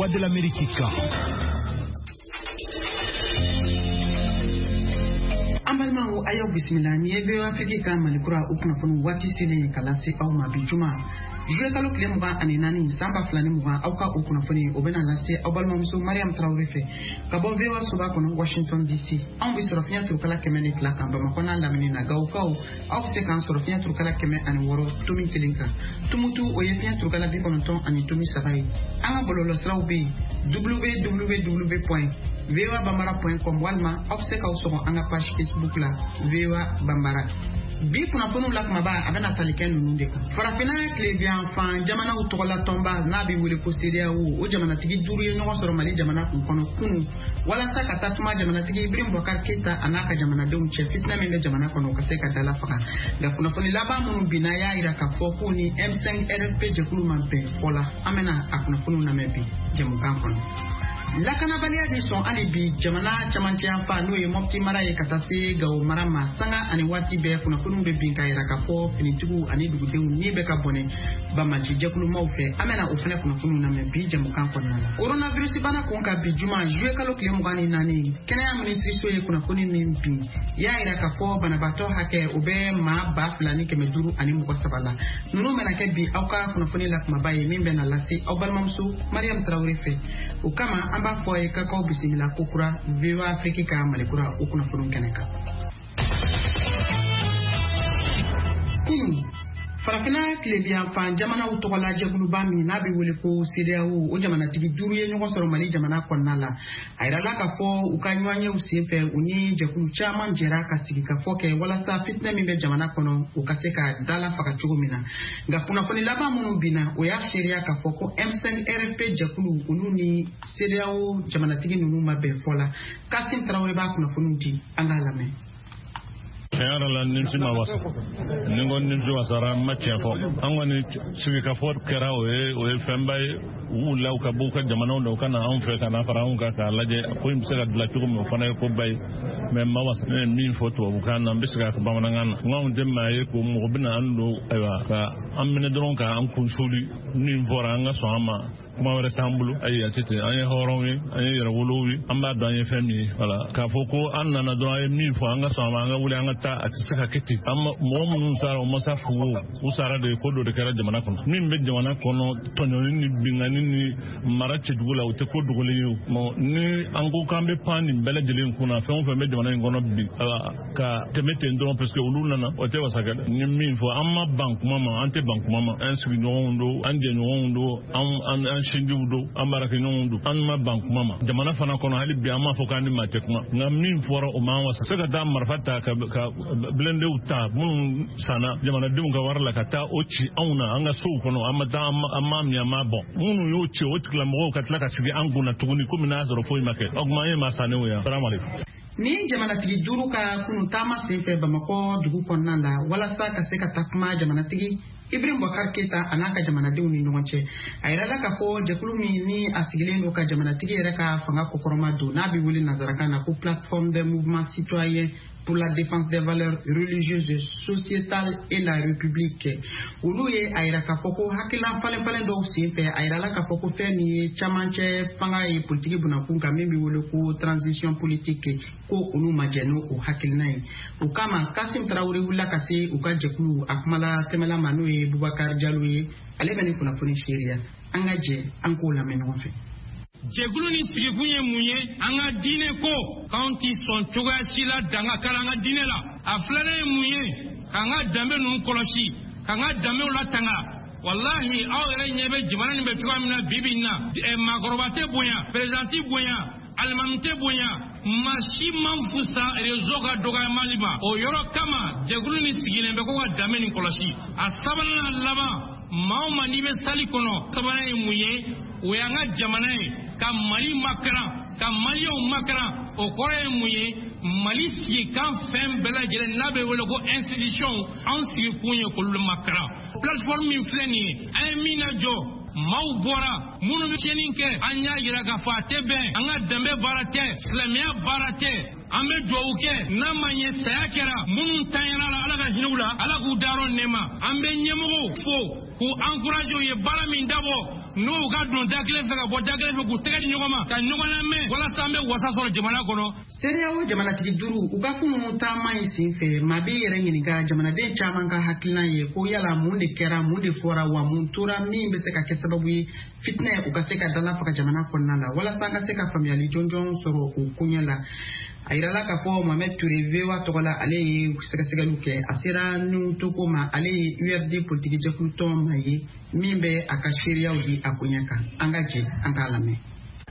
Voix de l'Amérique kan. An balimaw, a y'aw bisimila. Nin ye VOA Afrique ka Malikura, o kunnafoni waati selen ka lase aw ma bi juma, juillet kalo tile 24, san 2020. Aw ka o kunnafoni, o bɛna lase aw balimamuso Mariam Tarawele fɛ ka bɔ VOA soba kɔnɔ, Washington DC. Anw bɛ sɔrɔ fiɲɛ turukala 102 kan Bamakɔ n'a lamini na. Gawokaw, aw bɛ se k'an sɔrɔ fiɲɛ turukala 106.1 kan. Tumutu, o ye fiɲɛ turukala 90.3 ye. An ka bɔlɔlɔsiraw bɛ yen, www.voabambara.com, walima aw bɛ se k'aw sɔgɔ an ka page Facebook la, VOA Bambara. Bi kunnafoniw la kumaba, a bɛna tali kɛ ninnu de kan: Farafinna tilebiyanfan jamanaw tɔgɔla tɔnba n'a bɛ wele ko CEDEAO, o jamanatigi duuru ye ɲɔgɔn sɔrɔ Mali jamana kun kɔnɔ kunu, walasa ka taa kuma jamanatigi Ibrahim Boubacar Keita a n'a ka jamanadenw cɛ, fitinɛ min bɛ jamana kɔnɔ, o ka se ka dala faga. Nka kunnafoni laban minnu binna y'a yira k'a fɔ k'u ni M5 RFP jɛkulu ma bɛn fɔ la. An bɛna a kunnafoniw lamɛn bi jɛmukan kɔnɔ. Lakanabaliya bɛ sɔn hali bi jamana camancɛ yanfan, n'o ye Mɔpti mara ye, ka taa se Gawo mara ma. Sanga ani waati bɛɛ, kunnafoniw bɛ bin ka yira k'a fɔ finitigiw ani dugudenw ni bɛ ka bɔnɛ banbaanci jɛkulumaw fɛ. An bɛna o fɛnɛ kunnafoniw lamɛn bi jɛmukan kɔnɔna la. Coronavirus bana kun ka bi juma, juillet kalo tile 24, kɛnɛya minisiriso ye kunnafoni min bin y'a yira k'a fɔ banabaatɔ hakɛ, o bɛ maa 2533 la. Ninnu bɛna kɛ bi aw ka kunnafoni la kumaba ye, min bɛna lase aw balimamuso Mariam Tarawele fɛ. O kama, an b'a fɔ a ye k'aw bisimila kokura VOA Afrique ka Malikura, o kunnafoniw kɛnɛ kan. Kunu, Farafinna tilebiyanfan jamanaw tɔgɔla jɛkuluba min n'a bɛ wele ko CEDEAO, o jamanatigi duuru ye ɲɔgɔn sɔrɔ Mali jamana kɔnɔna la. A yirala k'a fɔ u ka ɲɔgɔnyew senfɛ, u ni jɛkulu caman jɛra ka sigi ka fɔ kɛ, walasa fitinɛ min bɛ jamana kɔnɔ, o ka se ka dala faga cogo min na. Nka kunnafoni laban minnu binna, o y'a seereya k'a fɔ ko M5 RFP jɛkulu, olu ni CEDEAO jamanatigi ninnu ma bɛn fɔ la. Kasim Tarawele b'a kunnafoniw di, an k'a lamɛn. Tiɲɛ yɛrɛ la, nimisi ma wasa. Ni ko nimisi wasara, n ma tiɲɛ fɔ. An kɔni, sigikafɔ kɛra, o ye fɛnba ye. U wulila, u ka bɔ u ka jamanaw la, u ka na anw fɛ ka na fara anw kan k'a lajɛ ko in bɛ se ka dilan cogo min. O fana ye koba ye, mais n ma wasa. Ne ye min fɔ tubabukan na, n bɛ segin a kan bamanankan na. N k'anw tɛ maa ye ko mɔgɔ bɛna an don, ayiwa, ka an minɛ dɔrɔn k'an kun suli. Min fɔra, an ka sɔn an ma, kuma wɛrɛ t'an bolo. Ayi, a tɛ ten. An ye hɔrɔnw ye, an ye yɛrɛwolow ye, an b'a dɔn an ye fɛn min ye. Wala k'a fɔ ko an nana dɔrɔn, an ye min fɔ, an ka sɔn a ma, an ka wuli, an ka taa, a tɛ se ka kɛ ten. An mɔgɔ minnu sara, o ma sa fu o, u sara de. Ko dɔ de kɛra jamana kɔnɔ. Min bɛ jamana kɔnɔ, tɔɲɔni ni binkanni ni mara cɛjugu la, o tɛ ko dogolen ye o. Ni an ko k'an bɛ pan nin bɛɛ lajɛlen kunna, fɛn o fɛn bɛ jamana in kɔnɔ bi, ka tɛmɛ ten dɔrɔn parce que olu nana, o tɛ wasa kɛ dɛ. Ni min fɔ, an ma ban kuma ma, an tɛ ban kuma ma. An sigiɲɔgɔnw don, an jɛɲɔgɔnw don, an sinjiw don, an baarakɛɲɔgɔnw don. An ma ban kuma ma jamana fana kɔnɔ. Hali bi, an m'a fɔ k'an ni maa tɛ kuma, nka min fɔra, o m'an wasa. Se ka taa marifa ta ka blindéw ta minnu sanna jamanadenw ka wari la, ka taa o ci anw na an ka sow kɔnɔ, an ma taa, an m'a min, an m'a bɔn. Minnu y'o ci, o tigilamɔgɔw ka tila ka sigi an kunna tuguni komi n'a sɔrɔ foyi ma kɛ. O tuma, an ye maa sannenw ye. Salamu aleykum. Ni jamanatigi duuru ka kunu taama senfɛ Bamakɔ dugu kɔnɔna la, walasa ka se ka taa kuma jamanatigi Ibrahim Boubacar Keita a n'a ka jamanadenw ni ɲɔgɔn cɛ, a yirala k'a fɔ jɛkulu min ni a sigilen don ka jamanatigi yɛrɛ ka fanga kɔkɔrɔma don, n'a bɛ wele nanzarakan na ko Plateforme des mouvements citoyens pour la défense des valeurs religieuses, sociétales et la République, olu ye a yira k'a fɔ ko hakilina falen falen dɔw senfɛ, a yirala k'a fɔ ko fɛn min ye camancɛ fanga ye politiki bunakun kan, min bɛ wele ko transition politique, ko olu ma jɛ n'o hakilina ye. O kama, Kasim Tarawele wulila ka se u ka jɛkulu a kumala tɛmɛla ma, n'o ye Bubakar Jalo ye. Ale bɛ nin kunnafoni seereya. An ka jɛ an k'o lamɛn ɲɔgɔn fɛ. Jɛkulu ni sigikun ye mun ye? An ka diinɛ ko k'anw ti sɔn cogoya si la danga kɛra an ka diinɛ la. A filanan ye mun ye? K'an ka danbe ninnu kɔlɔsi, k'an ka danbew latanga. Walahi, aw yɛrɛ ɲɛ bɛ jamana nin bɛ cogoya min na bi bi in na, maakɔrɔba tɛ bonya, président tɛ bonya, alimami tɛ bonya, maa si man fusa réseau ka dɔgɔyamali ma. O yɔrɔ kama, jɛkulu ni sigilen bɛ ko ka danbe nin kɔlɔsi. A sabanan laban, maa o maa n'i bɛ sali kɔnɔ, sabanan ye mun ye? O y'an ka jamana ye, ka Mali makaran, ka Maliyɛnw makaran. O kɔrɔ ye mun ye? Mali sigikan fɛn bɛɛ lajɛlen n'a bɛ wele ko institution, anw sigikun ye k'olu makaran. Plateforme min filɛ nin ye, an ye min lajɔ, maaw bɔra minnu bɛ tiɲɛni kɛ, an y'a yira k'a fɔ a tɛ bɛn, an ka danbe baara tɛ, silamɛya baara tɛ. An bɛ dugawu kɛ, n'a ma ɲɛ saya kɛra, minnu tanyara la, Ala ka hinɛ u la, Ala k'u dayɔrɔ nɛɛma. An bɛ ɲɛmɔgɔw fo. k'u encourager u ye baara min dabɔ n'u ka don da kelen fɛ ka bɔ da kelen fɛ k'u tɛgɛ di ɲɔgɔn ma ka ɲɔgɔn lamɛn walasa an bɛ wasa sɔrɔ jamana kɔnɔ. CEDEAO jamanatigi duuru u ka kunun taama in senfɛ, maa b'i yɛrɛ ɲininka jamanaden caman ka hakilina ye ko yala mun de kɛra, mun de fɔra, wa mun tora min bɛ se ka kɛ sababu ye fitinɛ u ka se ka dala faga jamana kɔnɔna la, walasa an ka se ka faamuyali jɔnjɔn sɔrɔ o koɲɛ la. A yirala k'a fɔ Mohamed Touré VOA tɔgɔ la, ale ye sɛgɛsɛgɛliw kɛ. A sera Nuhu Toko ma, ale ye URD politiki jɛkulu tɔn maa ye min bɛ a ka seereyaw di a koɲɛ kan. An ka jɛ an k'a lamɛn.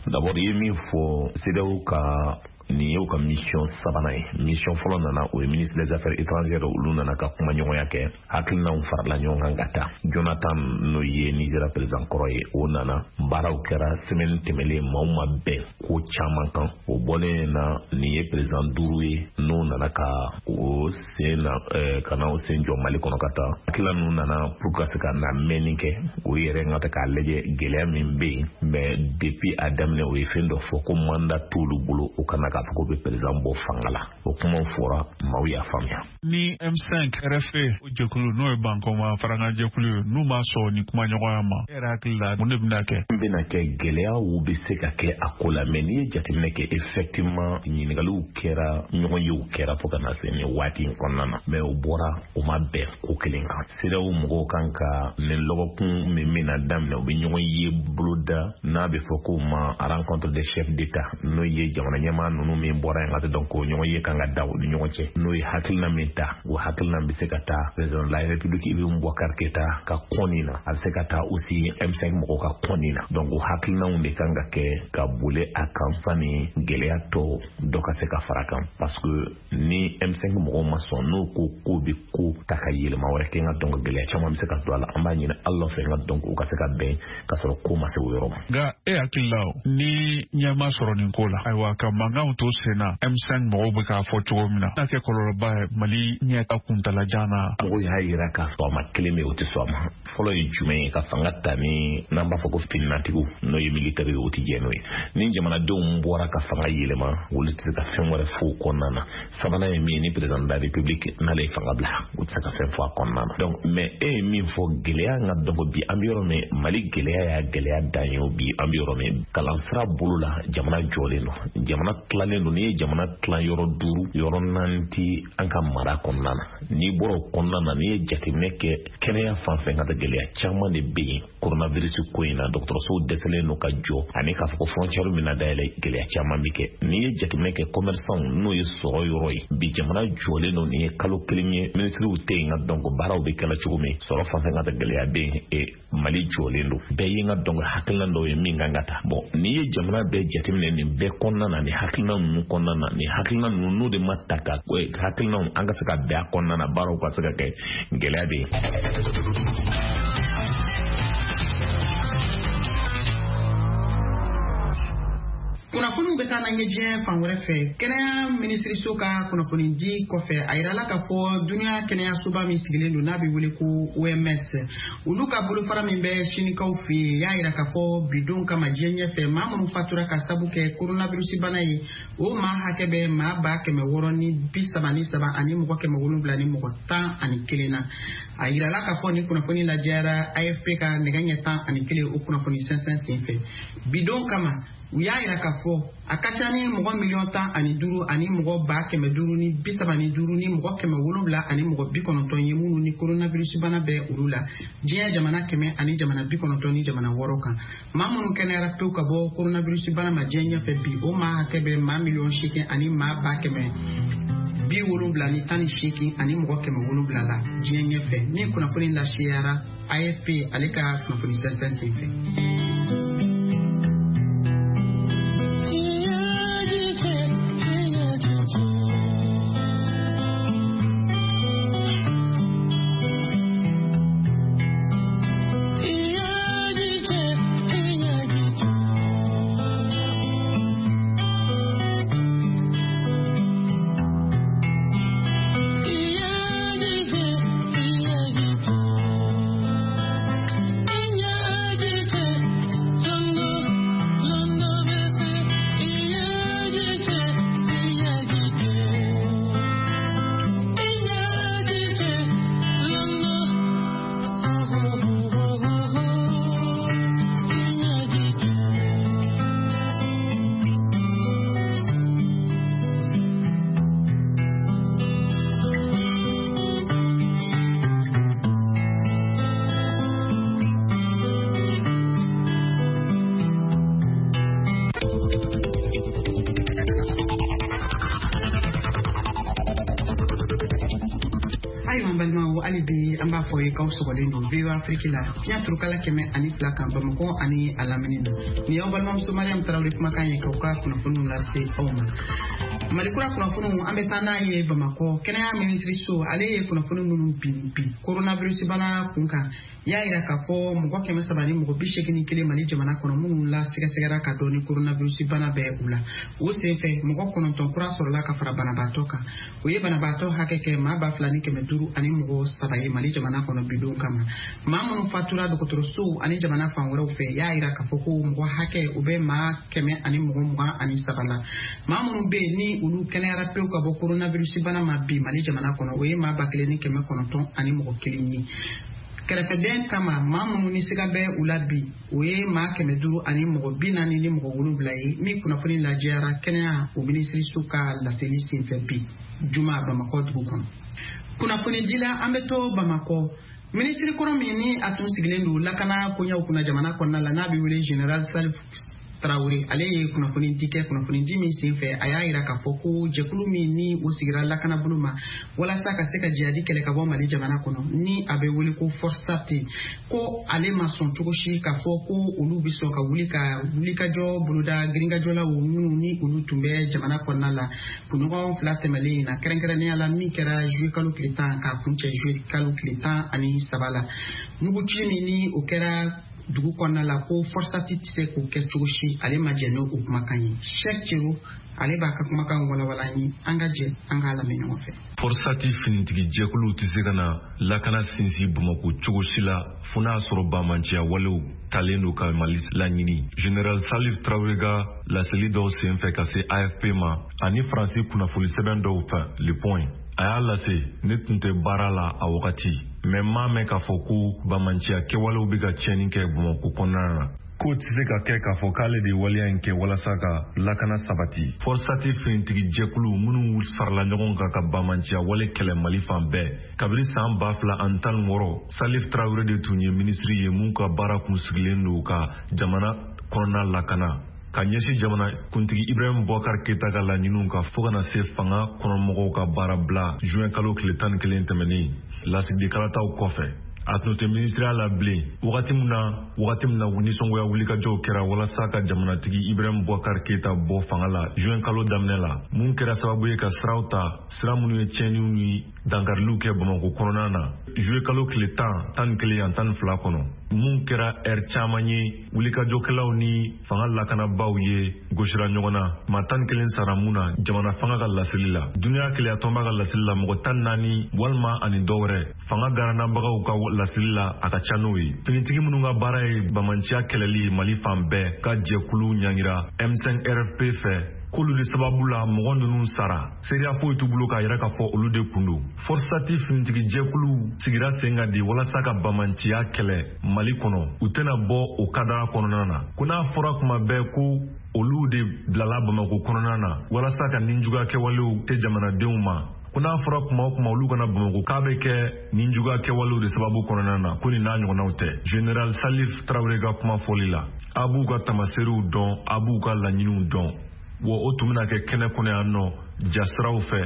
D'abord, i ye min fɔ, CEDEAO ka nin y'u ka mission sabanan ye. Mission fɔlɔ nana, o ye ministre des Affaires étrangères, olu nana ka kuma ɲɔgɔnya kɛ, hakilinaw farala ɲɔgɔn kan ka taa. Jonathan, n'o ye Nigéria président kɔrɔ ye, o nana, baaraw kɛra semaine tɛmɛlen, maaw ma bɛn ko caman kan. O bɔlen na, nin ye président duuru ye n'o nana ka o sen na ka na o sen jɔ Mali kɔnɔ ka taa. Hakilina ninnu nana pour ka se ka na mɛnni kɛ o yɛrɛ ka ta k'a lajɛ gɛlɛya min bɛ yen. Mais depuis a daminɛ, o ye fɛn dɔ fɔ ko mandat t'olu bolo, o kana k'a fɔ ko bɛ président bɔ fanga la. O kumaw fɔra, maaw y'a faamuya. Ni M5 RFP o jɛkulu, n'o ye bankɔma farankan jɛkulu ye, n'u ma sɔn ni kumaɲɔgɔnya ma, e yɛrɛ hakili la, mun de bɛna kɛ? N bɛna kɛ gɛlɛyaw bɛ se ka kɛ a ko la, mais n'i ye jateminɛ kɛ, effectivement, ɲininkaliw kɛra, ɲɔgɔn yew kɛra fo ka na se nin waati in kɔnɔna na, mais o bɔra, o ma bɛn ko kelen kan. CEDEAO mɔgɔw kan ka nin lɔgɔkun min bɛna daminɛ, u bɛ ɲɔgɔn ye boloda n'a bɛ fɔ k'o ma rencontre des chefs d'État, n'o ye jamana ɲɛmaa ninnu min bɔra yen ka donc o ɲɔgɔn ye kan ka da u ni ɲɔgɔn cɛ, n'o ye hakilina min ta, o hakilina bɛ se ka taa président de la République Ibrahim Boubacar Keïta ka kɔni na, a bɛ se ka taa aussi M5 mɔgɔw ka kɔni na. Donc o hakilinaw de kan ka kɛ ka boli a kan sani gɛlɛya tɔ dɔ ka se ka fara kan, parce que ni M5 mɔgɔw ma sɔn, n'o ko k'o bɛ ko ta ka yɛlɛma wɛrɛ kɛ n ka, donc gɛlɛya caman bɛ se ka don a la. An b'a ɲini Ala fɛ n ka, donc u ka se ka bɛn ka sɔrɔ ko ma se o yɔrɔ ma. Nka e hakili la, ni ɲɛ ma sɔrɔ nin ko la, ayiwa, ka mankanw to sen na, M5 mɔgɔw bɛ k'a fɔ cogo min na, n'a kɛ kɔlɔlɔba ye Mali ɲɛ ka kuntalajan na? Mɔgɔw y'a yira k'a fɔ a ma kelen bɛ, o tɛ sɔn a ma. Fɔlɔ ye jumɛn ye? Ka fanga ta ni n'an b'a fɔ ko fininatigiw, n'o ye militaire ye, o tɛ jɛ n'o ye. Ni jamanadenw bɔra ka fanga yɛlɛma, olu tɛ se ka fɛn wɛrɛ fɔ o kɔnɔna na. Sabanan ye min ye, ni président de la République n'ale ye fanga bila, o tɛ se ka fɛn fɔ a kɔnɔna na. Donc mais e ye min fɔ, gɛlɛya n ka, donc bi an bɛ yɔrɔ min, Mali gɛlɛya y'a gɛlɛya dan ye o. Bi an bɛ yɔrɔ min, kalansira bolo la, jamana jɔlen don, jamana tilalen don. N'i ye jamana tilan yɔrɔ duuru, yɔrɔ naani ti an ka mara kɔnɔna na. N'i bɔra o kɔnɔna na, n'i ye jateminɛ kɛ kɛnɛya fan fɛ, ka gɛlɛya caman de bɛ yen coronavirus ko in na. Dɔgɔtɔrɔsow dɛsɛlen don ka jɔ, ani k'a fɔ ko frontière min na dayɛlɛ, gɛlɛya caman bɛ kɛ. N'i ye jateminɛ kɛ commerçant, n'o ye sɔrɔ yɔrɔ ye, bi jamana jɔlen don, nin ye kalo kelen ye minisiriw tɛ yen, ka donc baaraw bɛ kɛla cogo min, sɔrɔ fan fɛ ka gɛlɛya bɛ yen. Mali jɔlen don, bɛɛ ye n ka, donc hakilina dɔw ye min kan ka ta. Bon, n'i ye jamana bɛɛ jateminɛ nin bɛɛ kɔnɔna na, nin hakilina ninnu kɔnɔna na, nin hakilina ninnu n'o de ma ta ka hakilinaw an ka se ka bɛn a kɔnɔna na, baaraw ka se ka kɛ, gɛlɛya bɛ yen. Kunnafoniw bɛ taa n'an ye diɲɛ fan wɛrɛ fɛ. Kɛnɛya minisiriso ka kunnafoni di kɔfɛ, a yirala k'a fɔ duniya kɛnɛyasoba min sigilen don n'a bɛ wele ko OMS, olu ka bolofara min bɛ sinikaw fɛ yen, y'a yira k'a fɔ bidon kama diɲɛ ɲɛfɛ, maa minnu fatura ka sabu kɛ coronavirus bana ye, o maa hakɛ bɛ maa 633 ani mɔgɔ 711 na. A yirala k'a fɔ ni kunnafoni lajɛyara AFP ka nɛgɛ ɲɛ 11 o kunnafoni sɛnsɛn senfɛ. Bidon kama, u y'a yira k'a fɔ a ka ca ni mɔgɔ 15 miliyɔn ani mɔgɔ 535 ni mɔgɔ 700 ani mɔgɔ 90 ye minnu ni coronavirus bana bɛ olu la diɲɛ jamana 100 ani jamana 96 kan. Maa minnu kɛnɛyara pewu ka bɔ coronavirus bana ma diɲɛ ɲɛfɛ bi, o maa hakɛ bɛ maa 8 miliyɔn ani maa 778 ani mɔgɔ 700 la diɲɛ ɲɛfɛ, min kunnafoni laseyara AFP ale ka kunnafoni sɛnsɛn senfɛ. ye k'aw sɔgɔlen don VOA Afrique la fiɲɛ turukala 102 kan Bamakɔ ani a lamini na. Nin y'aw balimamuso Mariam Tarawele kumakan ye k'aw ka kunnafoniw lase aw ma. Malikura kunnafoniw, an bɛ taa n'a ye Bamakɔ. Kɛnɛya minisiriso, ale ye kunnafoni minnu bin bi coronavirus bana kun kan, y'a yira k'a fɔ mɔgɔ 381 Mali jamana kɔnɔ minnu la sɛgɛsɛgɛra ka dɔn ni coronavirus bana bɛ u la. O senfɛ, mɔgɔ 9 kura sɔrɔla ka fara banabaatɔ kan. O ye banabaatɔ hakɛ kɛ maa 2503 ye Mali jamana kɔnɔ bidon kama. Maa minnu fatura dɔgɔtɔrɔsow ani jamana fan wɛrɛw fɛ, y'a yira k'a fɔ ko mɔgɔ hakɛ o bɛ maa 123 la. Maa minnu bɛ yen ni olu kɛnɛyara pewu ka bɔ coronavirus bana ma bi Mali jamana kɔnɔ, o ye maa 1901 ye. Kɛrɛfɛdɛn kama, maa minnu ni siga bɛ u la bi, o ye maa 547 ye, min kunnafoni lajɛyara kɛnɛya o minisiriso ka laseli senfɛ bi juma Bamakɔ dugu kɔnɔ. Kunnafoni dila, an bɛ to Bamakɔ. Minisiri kɔrɔ min ni a tun sigilen don lakana koɲɛw kunna jamana kɔnɔna la, n'a bɛ wele Général Salif Tarawele, ale ye kunnafoni di kɛ. Kunnafoni di min senfɛ, a y'a yira k'a fɔ ko jɛkulu min ni o sigira lakanabolo ma walasa ka se ka jihadi kɛlɛ ka bɔ Mali jamana kɔnɔ, ni a bɛ wele ko FORSAT, ko ale ma sɔn cogo si k'a fɔ ko olu bɛ sɔn ka wuli ka wulikajɔ boloda girinkajɔlaw minnu ni olu tun bɛ jamana kɔnɔna la kunɲɔgɔn 2 tɛmɛlen in na, kɛrɛnkɛrɛnnenya la min kɛra juillet kalo tile 10 k'a kuncɛ juillet kalo tile 13 la. Muguci min ni o kɛra dugu kɔnɔna la, ko FORSAT tɛ se k'o kɛ cogo si, ale ma jɛn n'o kumakan ye. Cheikh Cero, ale b'a ka kumakan walawala an ye. An ka jɛ an k'a lamɛn ɲɔgɔn fɛ. FORSAT finitigi jɛkuluw tɛ se ka na lakana sinsin Bamakɔ cogo si la, fo n'a sɔrɔ bamanciya walew talen don ka Mali laɲini. Général Salif Traoré ka laseli dɔw senfɛ ka se AFP ma ani Faransi kunnafoni sɛbɛn dɔw fɛ Le Point, a y'a lase: ne tun tɛ baara la a wagati, mɛ n m'a mɛn k'a fɔ ko bamanciya kɛwalew bɛ ka tiɲɛni kɛ Bamakɔ kɔnɔna na, k'o tɛ se ka kɛ k'a fɔ k'ale de ye waleya in kɛ walasa ka lakana sabati. FORSAT finitigi jɛkulu minnu farala ɲɔgɔn kan ka bamanciya wale kɛlɛ Mali fan bɛɛ kabini san 2016, Salif Traoré de tun ye minisiri ye mun ka baara kun sigilen don ka jamana kɔnɔna lakana ka ɲɛsin jamana kuntigi Ibrahim Boubacar Keita ka laɲiniw kan, fo kana se fanga kɔnɔmɔgɔw ka baara bila juin kalo tile 11 tɛmɛnen lasigiden kalataw kɔfɛ. A tun tɛ minisiriya la bilen wagati min na nisɔngoya wulikajɔw kɛra walasa ka jamanatigi Ibrahim Boubacar Keita bɔ fanga la juin kalo daminɛ la, mun kɛra sababu ye ka siraw ta, sira minnu ye tiɲɛniw ni dankariliw kɛ Bamakɔ kɔnɔna na juillet kalo tile 10, 11 ani 12 kɔnɔ, mun kɛra ɛri caman ye wulikajɔkɛlaw ni fanga lakanabaaw ye gosira ɲɔgɔn na, maa 11 sara mun na jamana fanga ka laseli la. Duniya keleyatɔnba ka laseli la, mɔgɔ 14 walima ani dɔ wɛrɛ. Fanga garanabagaw ka laseli la, a ka ca n'o ye. Finitigi minnu ka baara ye bamanciya kɛlɛli ye Mali fan bɛɛ ka jɛkulu ɲangira M5 RFP fɛ k'olu de sababu la mɔgɔ ninnu sara. Seereya foyi t'u bolo k'a yira k'a fɔ olu de kun don. FORSAT finitigi jɛkulu sigira sen kan di walasa ka bamanciya kɛlɛ Mali kɔnɔ. U tɛna bɔ o kadara kɔnɔna na ko n'a fɔra kuma bɛɛ ko olu de bilala Bamako kɔnɔna na walasa ka ninjuguya kɛwalew tɛ jamanadenw ma, ko n'a fɔra kuma o kuma olu kana Bamako, k'a bɛ kɛ ninjuguya kɛwalew de sababu kɔnɔna na, ko nin n'a ɲɔgɔnnaw tɛ. Général Salif Traoré ka kuma fɔli la, a b'u ka tamaseriw dɔn, a b'u ka laɲiniw dɔn, wa o tun bɛna kɛ kɛnɛ kɔnɔ yan nɔ jasiraw fɛ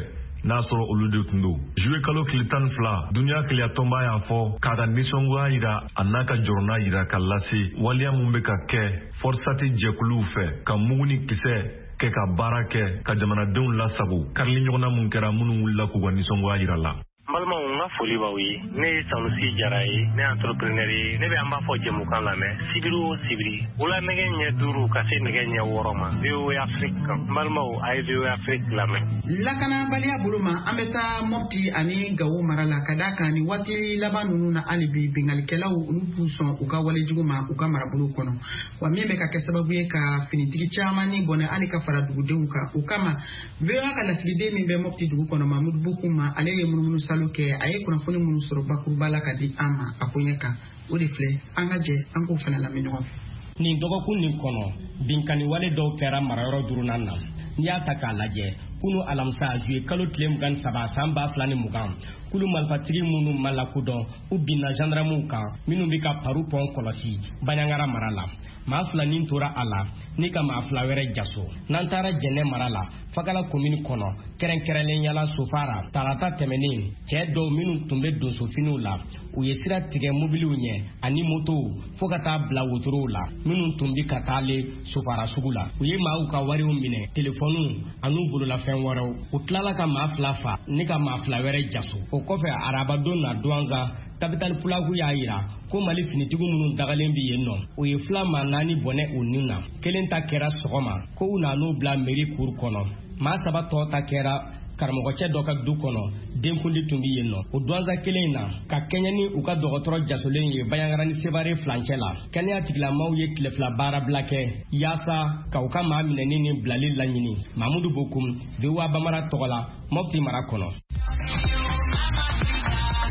n'a sɔrɔ olu de tun don. Juillet kalo tile 12, duniya keleyatɔnba y'a fɔ k'a ka nisɔngoya yira, a n'a ka jɔrɔna yira ka lase waleya mun bɛ ka kɛ FORSAT jɛkuluw fɛ ka mugu ni kisɛ kɛ ka baara kɛ ka jamanadenw lasago, karili ɲɔgɔnna mun kɛra minnu wulila k'u ka nisɔngoya yira la. N balimaw, n ka foli b'aw ye. Ne ye Sanusi Jara ye, ne ye entrepreneur ye. Ne bɛ an b'a fɔ jɛmukan lamɛn sibiri o sibiri, wula nɛgɛ ɲɛ 5 ka se nɛgɛ ɲɛ 6 ma, VOA Afrique kan. N balimaw, a ye VOA Afrique lamɛn. Lakanabaliya bolo ma, an bɛ taa Mɔpti ani Gawo mara la, ka d'a kan ni waati laban ninnu na, hali bi bingalikɛlaw olu b'u sɔn u ka walejugu ma u ka marabolo kɔnɔ, wa min bɛ ka kɛ sababu ye ka finitigi caman ni bɔnɛ, hali ka fara dugudenw kan. O kama, VOA ka lasigiden min bɛ Mɔpti dugu kɔnɔ, Mamudu Bukuma, ale ye munumunu salo kɛ. A ye kunnafoni minnu sɔrɔ bakuruba la ka di an ma a koɲɛ kan, o de filɛ. An ka jɛ an k'o fana lamɛn ɲɔgɔn fɛ. Nin dɔgɔkun nin kɔnɔ, binkanni wale dɔw kɛra marayɔrɔ duurunan na. N'i y'a ta k'a lajɛ, kunu alamisa juillet kalo tile 23 san 2020, kulu marifatigi minnu ma lakodɔn, u binna gendarmew kan minnu bɛ ka paru pɔn kɔlɔsi Baɲangara mara la. Maa 2 nin tora a la ni ka maa 2 wɛrɛ jaso. N'an taara Jɛnɛ mara la, Fakala komini kɔnɔ, kɛrɛnkɛrɛnnenya la Sofara, tarata tɛmɛnen, cɛɛ dɔw minnu tun bɛ donsofiniw la, u ye sira tigɛ mobiliw ɲɛ ani motow fo ka taa bila wotorow la minnu tun bɛ ka taale Sofara sugu la. U ye maaw ka wariw minɛ, telefɔniw an'u bololafɛn wɛrɛw. U tilala ka maa 2 fa ni ka maa 2 wɛrɛ jaso. O kɔfɛ arabadon na Duwanza, Tabital Pulaku y'a yira ko Mali finitigiw minnu dagalen bɛ yen nɔ, u ye fila maa 4 bɔnɛ u ni na. Kelen ta kɛra sɔgɔma ko u nan'u bila mairie cour kɔnɔ. Maa 3 tɔ ta kɛra karamɔgɔcɛ dɔ ka du kɔnɔ, denkundi tun bɛ yen nɔ. O Duwanza kelen in na, ka kɛɲɛ ni u ka dɔgɔtɔrɔ jasolen ye Bandiagara ni Sevare furancɛ la, kɛnɛya tigilamaaw ye tile 2 baarabila kɛ yaasa ka u ka maa minɛni ni bilali laɲini. Mamudu Bokum, VOA Bambara tɔgɔ la, Mopti mara kɔnɔ.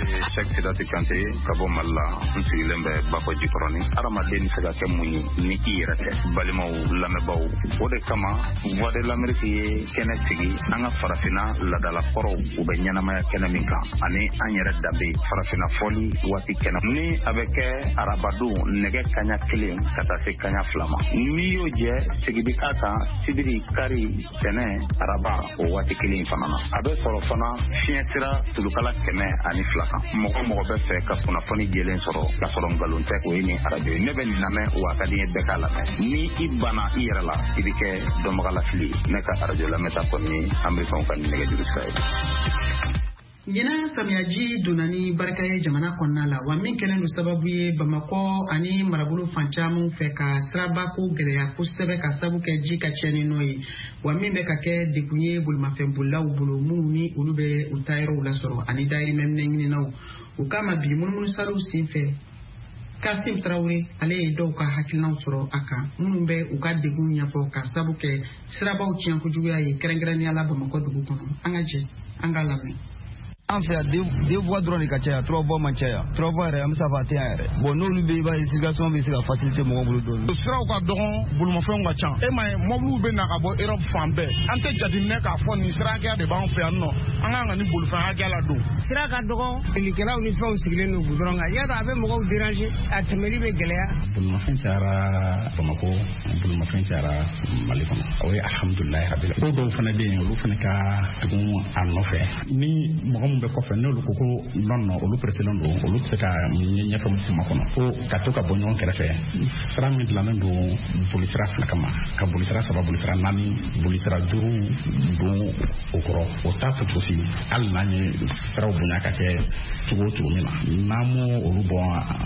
Cheikh Sidati Kante ka bɔ Mali la, n sigilen bɛ Bakɔ Jikɔrɔni. Hadamaden bɛ se ka kɛ mun ye ni i yɛrɛ tɛ? Balimaw, lamɛnbaaw, o de kama Voix de l'Amérique ye kɛnɛ sigi an ka farafinna laadalakɔrɔw u bɛ ɲɛnamaya kɛnɛ min kan, ani an yɛrɛ danbe farafinna fɔli waati kɛnɛ ni a bɛ kɛ arabadon nɛgɛ kanɲɛ 1 ka taa se kanɲɛ 2 ma. N'i y'o jɛ, sigi bɛ k'a kan sibiri, kari, tɛnɛ, araba o waati kelen fana na. A bɛ sɔrɔ fana fiɲɛ sira tulukala 102 kan. Mɔgɔ mɔgɔ bɛ fɛ ka kunnafoni jɛlen sɔrɔ k'a sɔrɔ nkalon tɛ, o ye nin arajo ye. Ne bɛ nin lamɛn wa a ka di n ye bɛɛ k'a lamɛn. Ni i banna i yɛrɛ la, i bɛ kɛ dɔnbagalafili ye. Ne ka arajo lamɛnta kɔni ye Amerikɛnw ka nɛgɛjuru sira ye. Ɲinan samiyaji donna ni barika ye jamana kɔnɔna la, wa min kɛlen don sababu ye Bamakɔ ani marabolo fan caman fɛ ka sirabako gɛlɛya kosɛbɛ ka sababu kɛ ji ka tiɲɛni nɔ ye, wa min bɛ ka kɛ degun ye bolimafɛnbolilaw bolo minnu ni olu bɛ u taayɔrɔw lasɔrɔ ani dayirimɛ ɲininaw. O kama bi munumunusaliw senfɛ, Kasim Traoré ale ye dɔw ka hakilinaw sɔrɔ a kan minnu bɛ u ka degun ɲɛfɔ ka sababu kɛ sirabaw tiɲɛ kojuguya ye, kɛrɛnkɛrɛnnenya la Bamakɔ dugu kɔnɔ. An ka jɛ an k'a lamɛn. An fɛ yan 2 voies dɔrɔn de ka caya, 3 voies man caya. 3 voies yɛrɛ an bɛ se k'a fɔ a tɛ yan yɛrɛ. Bon, n'olu bɛ yen, i b'a ye circulation bɛ se ka faciliter mɔgɔw bolo dɔɔnin. Siraw ka dɔgɔn, bolimafɛnw ka ca. E m'a ye mɔbiliw bɛ na ka bɔ Europe fan bɛɛ. An tɛ jateminɛ k'a fɔ nin sira hakɛya de b'an fɛ yan nɔ. An kan ka nin bolifɛn hakɛya ladon. Sira ka dɔgɔn, filikɛlaw ni fɛnw sigilen don goudron kan. Y'a dɔn a bɛ mɔgɔw déranger, a tɛmɛli bɛ gɛlɛya. Bolimafɛn cayara Bamakɔ, bolimafɛn cayara Mali kɔnɔ. O ye alhamdulilayi rabil. Ko dɔw fana bɛ yen, olu fana ka tugun a nɔfɛ. Ni mɔgɔ min bɛ kɔfɛ, n'olu ko ko non non, olu preselen don, olu tɛ se ka ɲɛfɛ kuma kɔnɔ ko ka to ka bɔ ɲɔgɔn kɛrɛfɛ. Sira min dilannen don bolisira 2 kama, ka bolisira 3, bolisira 4, bolisira 5 don o kɔrɔ, o t'a to cogo si. Hali n'an ye siraw bonya ka kɛ cogo o cogo min na, n'an m'o olu bɔ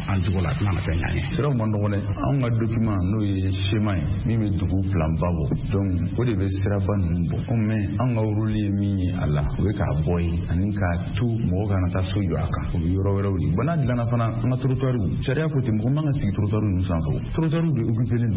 an jogo la, a tɛna na fɛn ɲ'an ye. Siraw man dɔgɔn dɛ. Anw ka document n'o ye schéma ye min bɛ dugu plan ba bɔ, donc o de bɛ siraba ninnu bɔ. Mais anw ka rôle ye min ye a la, o ye k'a bɔ yen ani k'a to mɔgɔ kana taa so jɔ a kan, o bɛ yɔrɔ wɛrɛw de. Bon, n'a dilanna fana, an ka trottoirs, sariya ko ten, mɔgɔ man ka sigi trottoirs ninnu sanfɛ. Trottoirs de occupé don,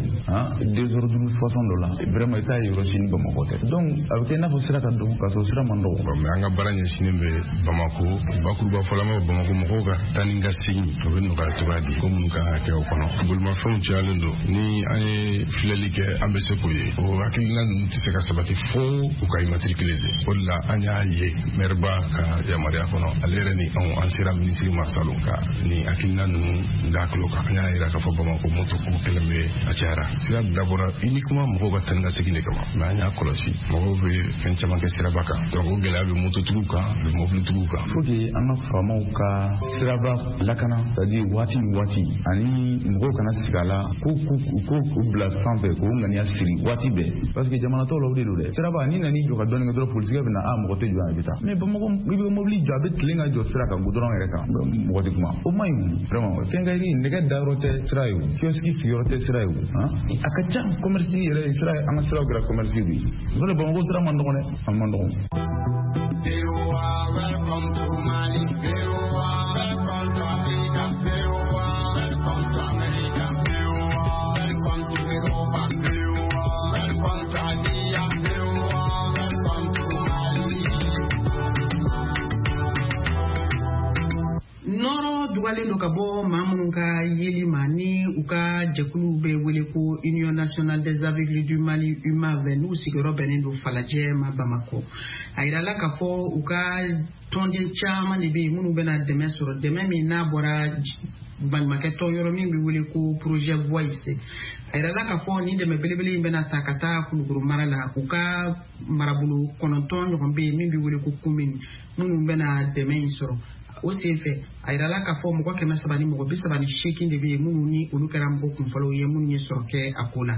désordre façon dɔ la, vraiment i t'a ye yɔrɔ si ni Bamakɔ tɛ. Donc a bɛ kɛ i n'a fɔ sira ka dɔgɔ, k'a sɔrɔ sira man dɔgɔ. Mais an ka baara ɲɛsinnen bɛ Bamakɔ, bakuruba fɔla ma Bamakɔ mɔgɔw ka taa ni ka segin o bɛ nɔgɔya cogoya di, ko minnu kan ka kɛ o kɔnɔ. Bolimafɛnw cayalen don, ni an ye filɛli kɛ an bɛ se k'o ye. O hakilina ninnu tɛ se ka sabati fo u ka immatriculé de. O de la an y'a ye maire ba ka yamaruya kɔnɔ, ale yɛrɛ ni anw an sera minisiri ma salon ka ni hakilina ninnu da tulo kan. An y'a yira k'a fɔ Bamakɔ moto ko kɛlen bɛ a cayara. Sira dabɔra uniquement mɔgɔw ka taa ni ka segin de kama, mais an y'a kɔlɔsi mɔgɔw bɛ fɛn caman kɛ siraba kan. Donc o gɛlɛya bɛ mototigiw kan, a bɛ mobilitigiw kan. Faut que an ka faamaw ka siraba lakana, c'est à dire waati ni waati, ani mɔgɔw kana sigi a la ko k'u bila sanfɛ k'u ŋaniya siri waati bɛɛ, parce que jamana tɔw la o de don dɛ. Siraba n'i nan'i jɔ ka dɔɔnin kɛ dɔrɔn, polisikɛ bɛ na, a mɔgɔ tɛ jɔ yan, i bɛ taa. Mais Bamakɔ, i bɛ mobili jɔ, a bɛ tilen ka jɔ sira kan goudron yɛrɛ kan, mɔgɔ tɛ kuma. O man ɲi vraiment. Quincaillerie nɛgɛ dayɔrɔ tɛ sira ye, o kiosque sigiyɔrɔ tɛ sira ye, o a ka ca commerce yɛrɛ sira, an ka siraw kɛra commerce de ye. N'o tɛ Bamakɔ sira man dɔgɔn dɛ, a man dɔgɔn. Welcome to Mali, welcome to Africa, welcome to America, welcome to Europa, welcome to Asia, welcome to Mali. Nɔrɔ dugalen don ka bɔ maa minnu ka yeli ma ni u ka jɛkuluw bɛ wele ko Union nationale des aveugles du Mali, UMAV, n'u sigiyɔrɔ bɛnnen don Falajɛ ma Bamakɔ. A yirala k'a fɔ u ka tɔnden caman de bɛ yen minnu bɛna dɛmɛ sɔrɔ, dɛmɛ min n'a bɔra baɲumankɛ tɔn yɔrɔ min bɛ wele ko Projet Voice. A yirala k'a fɔ nin dɛmɛ belebele in bɛna ta ka taa Kulukoro mara la. U ka marabolo 9 ɲɔgɔn bɛ yen min bɛ wele ko commune, minnu bɛna dɛmɛ in sɔrɔ. O senfɛ, a yirala k'a fɔ mɔgɔ 338 de bɛ yen minnu ni olu kɛra mɔgɔ kunfɔlɔw ye minnu ye sɔrɔ kɛ a ko la.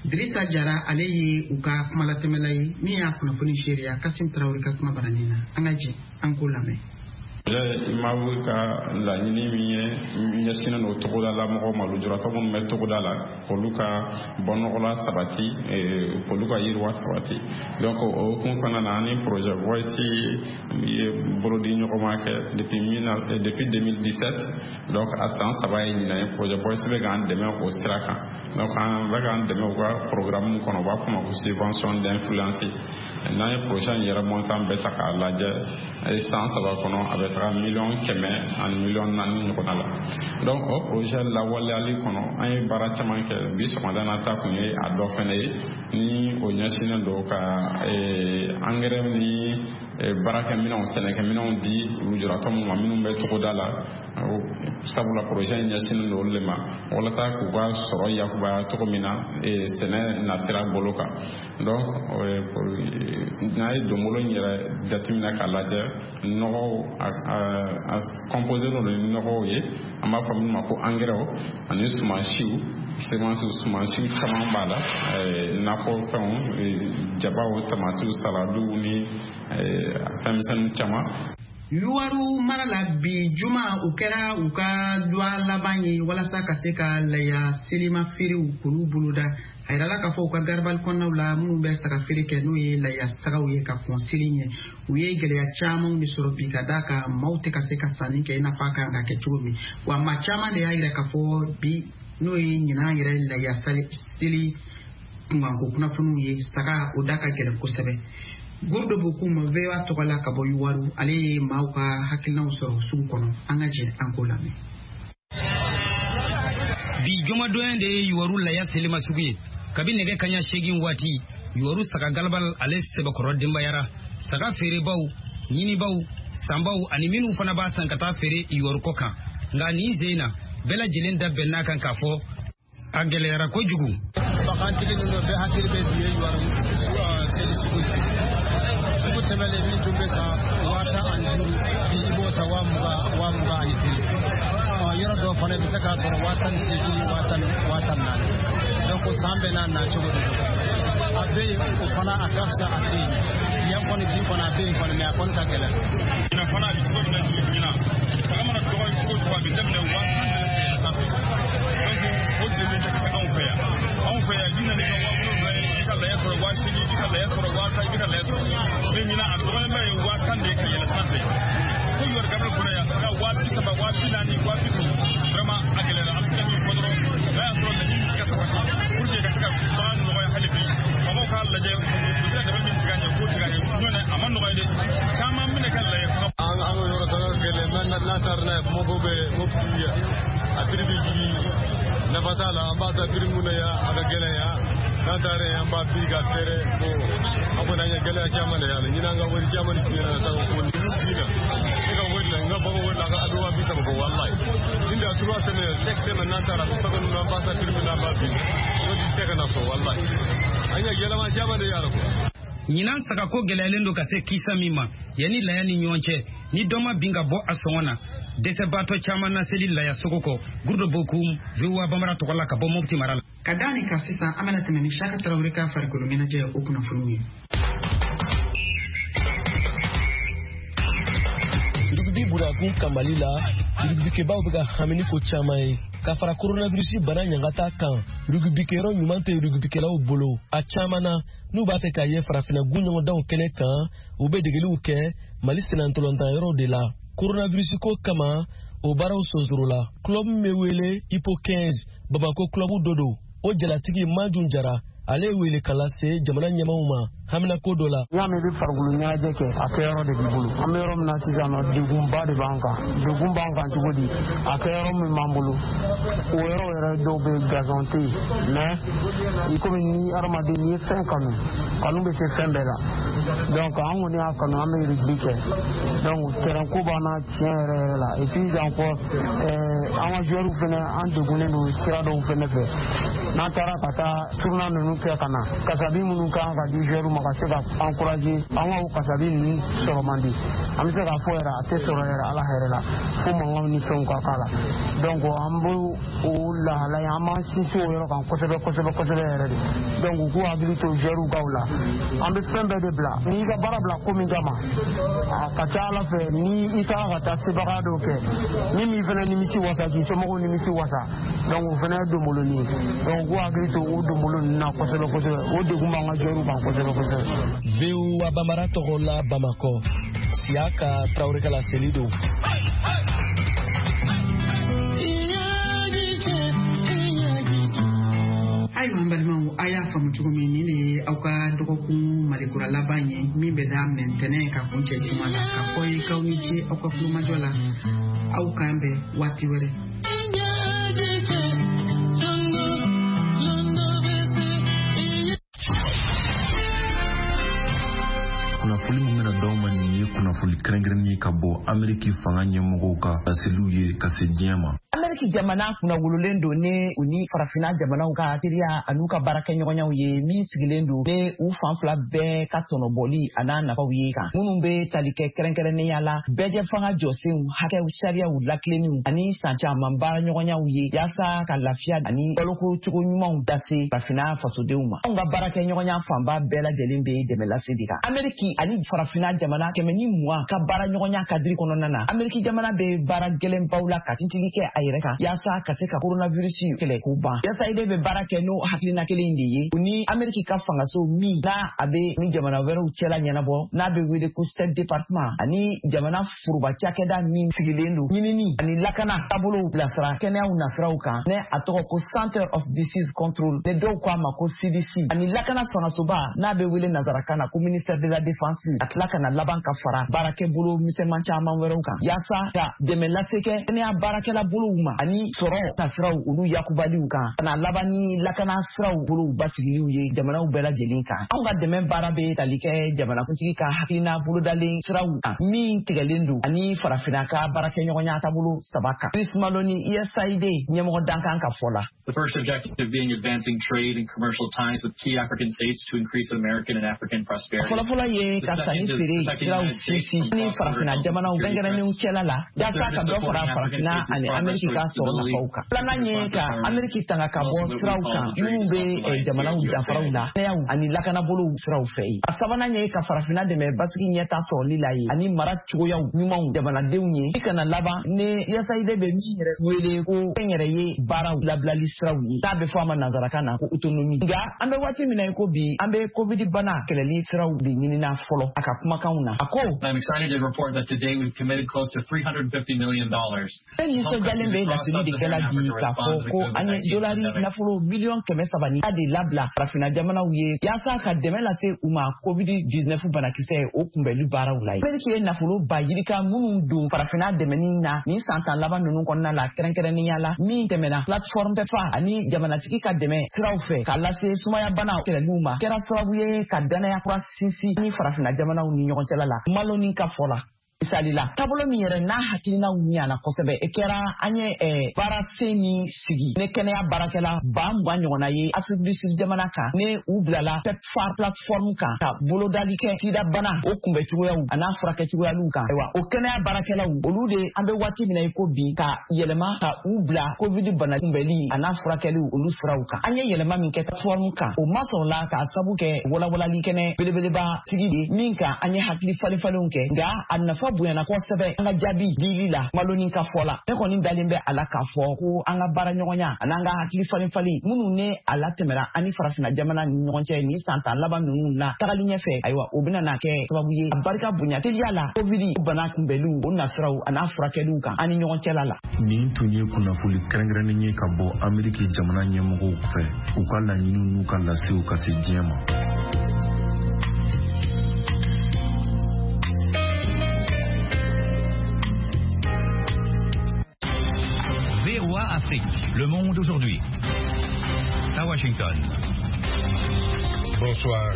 Dirisa Jara, ale ye u ka kumalatɛmɛla ye min y'a kunnafoni seereya Kasim Tarawele ka kuma baranin na. An ka jɛ an k'o lamɛn. Imawu ka laɲini min ye ɲɛsinnen don togoda la mɔgɔw ma, lujuratɔ minnu bɛ togoda la, olu ka bɔnɔgɔla sabati, olu ka yiriwa sabati. Donc o hukumu kɔnɔna na, ani projet Voice ye bolodi ɲɔgɔnma kɛ depuis 2017. Donc a san 3 ye ɲinan ye. Projet Voice bɛ k'an dɛmɛ o sira kan. Donc an bɛ k'an dɛmɛ u ka programme kɔnɔ, u b'a fɔ o ma ko subvention d'influence. N'an ye projet in yɛrɛ montant bɛɛ ta k'a lajɛ, san 3 kɔnɔ, a bɛ taga 100 000 ani 4 million ɲɔgɔnna la. Donc o projet lawaleyali kɔnɔ, an ye baara caman kɛ. Bi sɔgɔmada na ta kun ye a dɔ fɛnɛ ye, ni o ɲɛsinnen don ka engrais ni baarakɛminɛnw, sɛnɛkɛminɛnw di lujuratɔ minnu ma minnu bɛ togoda la, sabula projet in ɲɛsinnen don olu de ma, walasa k'u ka sɔrɔ yakubaya cogo min na sɛnɛ nasira bolo kan. Donc n'a ye donbolo in yɛrɛ jateminɛ k'a lajɛ, nɔgɔw, a composé don ni nɔgɔw ye, an b'a fɔ minnu ma ko engrais, ani sumansiw, semences, sumansiw caman b'a la, nakɔfɛnw, jabaw, tamatiw, saladiw ni fɛn misɛnnin caman. Yuwaru mara la, bi juma o kɛra u ka duwa laban ye walasa ka se ka laya selima feerew k'olu boloda. A yirala k'a fɔ u ka garabali kɔnɔnaw la, minnu bɛ saga feere kɛ, n'o ye laya sagaw ye ka kɔn seli ɲɛ, u ye gɛlɛya camanw de sɔrɔ bi, ka d'a kan maaw tɛ ka se ka sanni kɛ i n'a fɔ a kan ka kɛ cogo min. Wa maa caman de y'a yira k'a fɔ bi, n'o ye ɲinan yɛrɛ laya seli kunkanko kunnafoniw ye, saga o da ka gɛlɛn kosɛbɛ. Gurdo Bokum, VOA tɔgɔ la ka bɔ Yuwaru, ale ye maaw ka hakilinaw sɔrɔ sugu kɔnɔ. An ka jɛ an k'o lamɛn. Bi jumadonya de ye Yuwaru laya selima sugu ye. Kabi nɛgɛ kaɲa 8 waati, Yuwaru saga galabal ale sɛbɛkɔrɔ denbayara. Saga feerebaw, ɲinibaw, sanbaw ani minnu fana b'a san ka taa feere Yuwaru kɔ kan. Nka nin sen na, bɛɛ lajɛlen da bɛnn'a kan k'a fɔ a gɛlɛyara kojugu. Bagantigi ninnu bɛɛ hakili bɛ bi ye Yuwaru seli sugu ye. Sugu tɛmɛlen, min tun bɛ san 15,000, bi i b'o san 20,000, 25,000. Yɔrɔ dɔw fana i bɛ se k'a sɔrɔ 18,000, 10,000, 14,000. Donc san bɛɛ n'a nacogo de don. A bɛ yen, o fana a ka fisa a tɛ yen. Yan kɔni, bi kɔni a bɛ yen kɔni, mais a kɔni ka gɛlɛn. Ɲinan fana a bɛ cogo min na ɲinan, saga mana dɔgɔya cogo o cogo, a bɛ daminɛ 10,000 de fɛ sanfɛ. Donc o degun tɛ se anw fɛ yan. Anw fɛ yan, i nana i ka 7,000 ye, i ka laya sɔrɔ 8,000, i ka laya sɔrɔ 10,000, i ka laya sɔrɔ. Mais ɲinan a dɔgɔyalenba ye 10,000 de ye ka yɛlɛ sanfɛ. Fo Yɔrɔ Gabriel kɔnɔ yan, saga 30,000, 40,000, 50,000, vraiment a gɛlɛyara. An bɛ se ka min fɔ dɔrɔn, n'a y'a sɔrɔ laɲini bɛ se ka sabati pour que ka se ka bagan nɔgɔya hali bi, faamaw k'a lajɛ u bɛ se ka dɛmɛ min tigɛ an ye, k'o tigɛ an ye. N'o tɛ a ma nɔgɔya dɛ, caman bɛna kɛ laya fana. An ka yɔrɔ saga gɛlɛn, n'a taara n'a ye Bamakɔ bɛ Mopti yan, a prix bɛ jigin, nafa t'a la. An b'a ta prix mun na yan, a ka gɛlɛn yan. N'an taara yen, an b'a prix ka feere. Bon, an kɔni an ye gɛlɛya caman de y'a la. Ɲinan, an ka wari caman de tiɲɛna na saga ko ni binna. Ne ka wari la, n ka bagan wari la, a bɛ 30,000 bɔ walayi. Ni da 3 semaines, 5 semaines, n'an taara saga ninnu, an b'a ta prix min na, an b'a bin, o ti se ka na fɔ walayi. An ye gɛlɛma caman de y'a la quoi. Ɲinan sagako gɛlɛyalen don ka se kisa min ma, yanni laya ni ɲɔgɔn cɛ, ni dɔ ma bin ka bɔ a sɔngɔ na, dɛsɛbaatɔ caman na seli laya sogo kɔ. Gurudo Bokum, VOA Bamara tɔgɔ la ka bɔ Mopti mara la. Ka da nin kan sisan, an bɛna tɛmɛ ni Saka Tarawele ka farikolo ɲɛnajɛ o kunnafoniw ye. Rugby bunakun kan Mali la, rugbykebaw bɛ ka hami ni ko caman ye. Ka fara coronavirus bana ɲangata kan, rugbikɛyɔrɔ ɲuman tɛ rugbikɛlaw bolo. A caman na, n'u b'a fɛ k'a ye farafinna gun ɲɔgɔndanw kɛnɛ kan, u bɛ degeliw kɛ Mali sennantolatan de la. Coronavirus ko kama, o baaraw sonsorola. Club min bɛ wele Ipo 15, Bamako club dɔ don, o jalatigi Majun Jara, ale ye wele ka lase jamana ɲɛmaw ma. Haminako dɔ la. N y'a mɛn i bɛ farikolo ɲɛnajɛ kɛ, a kɛyɔrɔ de b'i bolo. An bɛ yɔrɔ min na sisan nɔ, degunba de b'an kan. Degun b'an kan cogo di? A kɛyɔrɔ min b'an bolo, o yɔrɔ yɛrɛ dɔw bɛ gazon tɛ yen. Mais i komi ni hadamaden n'i ye fɛn kanu, kanu bɛ se fɛn bɛɛ la. Donc an kɔni y'a kanu, an bɛ rugby kɛ. Donc terrain ko b'an na tiɲɛ yɛrɛ yɛrɛ la. Et puis encore an ka joueurs fɛnɛ, an degunnen don sira dɔw fɛnɛ fɛ. N'an taara ka taa tournoi ninnu kɛ ka na, kasabi minnu kan ka di joueurs ma ka se ka encourager, an ka o kasabi ninnu sɔrɔ man di. An bɛ se k'a fɔ yɛrɛ, a tɛ sɔrɔ yɛrɛ ala hɛrɛ la, fo mankanw ni fɛnw ka k'a la. Donc an b'o o lahala ye, an b'an sinsin o yɔrɔ kan kosɛbɛ kosɛbɛ kosɛbɛ yɛrɛ de. Donc u k'u hakili to joueurs kaw la. An bɛ fɛn bɛɛ de bila. N'i ka baara bila ko min kama, a ka ca ala fɛ ni i taara ka taa sebaga dɔw kɛ min b'i fɛnɛ nimisi wasa, k'i somɔgɔw nimisi wasa. Donc o fɛnɛ ye donboloni ye. Donc u k'u hakili to o donbolo ninnu na kosɛbɛ kosɛbɛ. O degun b'an ka joueurs kan kosɛbɛ kosɛbɛ. VOA Bambara tɔgɔ la Bamakɔ, Siyaka Tarawele ka laseli don. Ayiwa n balimaw, a y'a faamu cogo min, nin de ye aw ka dɔgɔkun malikura laban ye min bɛ daminɛ ntɛnɛn ka kuncɛ juma la. Ka fɔ ye k'aw ni ce aw ka kulomajɔ la. Aw k'an bɛn waati wɛrɛ. Kunnafoli min bɛna d'aw ma nin ye kunnafoli kɛrɛnkɛrɛnnen ye ka bɔ Ameriki fanga ɲɛmɔgɔw ka laseliw ye ka se diɲɛ ma. Ameriki jamana kunnawololen don ni u ni farafinna jamanaw ka teriya an'u ka baarakɛɲɔgɔnyaw ye min sigilen don ni u fan fila bɛɛ ka tɔnɔbɔli an'a nafaw ye kan, minnu bɛ tali kɛ kɛrɛnkɛrɛnnenya la bɛɛjɛ fanga jɔsenw, hakɛw, sariyaw lakilenniw ani san caman baaraɲɔgɔnyaw ye yaasa ka lafiya ani baloko cogo ɲumanw lase farafinna fasodenw ma. Anw ka baarakɛɲɔgɔnya fanba bɛɛ lajɛlen bɛ dɛmɛ lase de kan. Ameriki ani farafinna jamana 120 ka baaraɲɔgɔnya kadiri kɔnɔna na, Ameriki jamana bɛ baara gɛlɛnbaw la ka tintigi kɛ a yɛrɛ kan yaasa ka se ka coronavirus kɛlɛ k'o ban. USAID bɛ baara kɛ n'o hakilina kelen de ye, u ni Ameriki ka fangaso min n'a a bɛ ni jamana wɛrɛw cɛla ɲɛnabɔ, n'a bɛ wele ko State Department, ani jamana foroba cakɛda min sigilen don ɲinini ani lakana taabolow bilasira kɛnɛyaw nasiraw kan, ne a tɔgɔ ko Center of Disease Control, ne dɔw ko a ma ko CDC, ani lakana fangasoba n'a bɛ wele nansarakan na ko ministère de la Défense, a tila ka na laban ka fara baarakɛbolo misɛnman caman wɛrɛw kan yaasa ka dɛmɛ lase kɛ kɛnɛya baarakɛla bolow ma ani sɔrɔ nasiraw olu yakubaliw kan, ka na laban ni lakana siraw bolow basigiliw ye jamanaw bɛɛ lajɛlen kan. Anw ka dɛmɛ baara bɛ tali kɛ jamanakuntigi ka hakilina bolodalen siraw kan min tigɛlen don ani farafinna ka baarakɛɲɔgɔnya taabolo saba kan. Chris Maloney, USAID ɲɛmɔgɔ dankan ka fɔ la. The first objective being advancing trade and commercial ties with key African states to increase American and African prosperity. Fɔlɔfɔlɔ ye ka sanni feere siraw sinsin ni farafinna jamanaw kɛrɛnkɛrɛnnenw cɛla la yaasa ka dɔ fara farafinna ani Ameriki ka sɔrɔ nafaw kan. Filanan ye ka Ameriki tanga ka bɔ siraw kan minnu bɛ jamanaw danfaraw la, kɛnɛyaw ani lakanabolow siraw fɛ yen. A sabanan ye ka farafinna dɛmɛ basigi ɲɛta sɔrɔli la ye ani mara cogoyaw ɲumanw jamanadenw ye. I kana laban ni USAID bɛ min yɛrɛ wele ko kɛnyɛrɛye baaraw labilali siraw ye, n'a bɛ fɔ a ma nansarakan na ko autonomie. Nka an bɛ waati min na i ko bi, an bɛ COVID bana kɛlɛli siraw de ɲinina fɔlɔ. A ka kumakanw na, a ko: I'm excited to report that today we've committed close to $350 million. Ne nisɔndiyalen bɛ laseli de kɛla bi k'a fɔ ko an ye dolari nafolo 300 miliyɔn de labila farafinna jamanaw ye yaasa ka dɛmɛ lase u ma COVID-19 banakisɛ o kunbɛli baaraw la. Ameriki ye nafolo ba yirika minnu don farafinna dɛmɛni na nin san 10 laban ninnu kɔnɔna la, kɛrɛnkɛrɛnnenya la min tɛmɛna plateforme PEPFAR ani jamanatigi ka dɛmɛ siraw fɛ k'a lase sumaya bana kɛlɛliw ma, kɛra sababu ye ka danaya kura sinsin ni farafinna jamanaw ni ɲɔgɔn cɛla la. Maloney ka fɔ la, misali la, taabolo min yɛrɛ n'a hakilinaw ɲana kosɛbɛ, e kɛra an ye baara sen min sigi ne kɛnɛya baarakɛla 20,000 ɲɔgɔnna ye Afrique du Sud jamana kan, ne u bilala PEPFAR plateforme kan ka bolodali kɛ sida bana o kunbɛcogoyaw an'a furakɛcogoyaliw kan. Ayiwa, o kɛnɛya baarakɛlaw olu de an bɛ waati min na i ko bi ka yɛlɛma ka u bila COVID bana kunbɛli an'a furakɛliw olu siraw kan. An ye yɛlɛma min kɛ plateforme kan, o masɔrɔla k'a sabu kɛ walawalali kɛnɛ belebeleba sigi de min kan an ye hakili falen falenw kɛ, nka a nafa bonyana kosɛbɛ an ka jaabi dili la. Maloney ka fɔ la, ne kɔni dalen bɛ a la k'a fɔ ko an ka baara ɲɔgɔnya an'an ka hakili falen falen minnu ne a latɛmɛra an ni farafinna jamana ni ɲɔgɔn cɛ nin san 10 laban ninnu na tagali ɲɛfɛ, ayiwa o bɛna na kɛ sababu ye a barika bonya teliya la COVID bana kunbɛliw o nasiraw an'a furakɛliw kan an ni ɲɔgɔn cɛla la. Nin tun ye kunnafoli kɛrɛnkɛrɛnnen ye ka bɔ Ameriki jamana ɲɛmɔgɔw fɛ, u ka laɲiniw n'u ka lasew ka se diɲɛ ma. Le Monde aujourd'hui. À Washington. Bonsoir.